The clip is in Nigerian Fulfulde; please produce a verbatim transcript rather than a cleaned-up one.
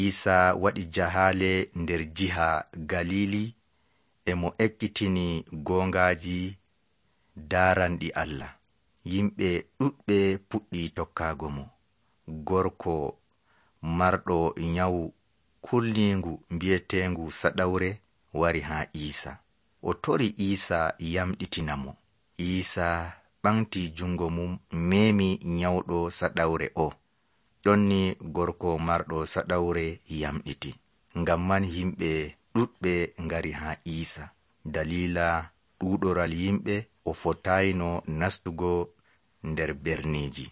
Isa waɗi jahaale nder jiha Galili e mo ekkitini gongaji daaranɗi Allah. Yimɓe ɗuɗɓe puɗɗi tokkaago mo. Gorko marɗo nyawu kulningu mbi'etengu saɗawre wari haa Isa. O tori Isa yamɗitina mo. Isa ɓamti jungo mum memi nyawɗo saɗawre o. Ɗonni gorko marɗo saɗawre yamɗiti. Ngam man yimɓe ɗuɗɓe ngari haa Isa. Dalila ɗuɗoral yimɓe o fotayno nastugo nder berneji.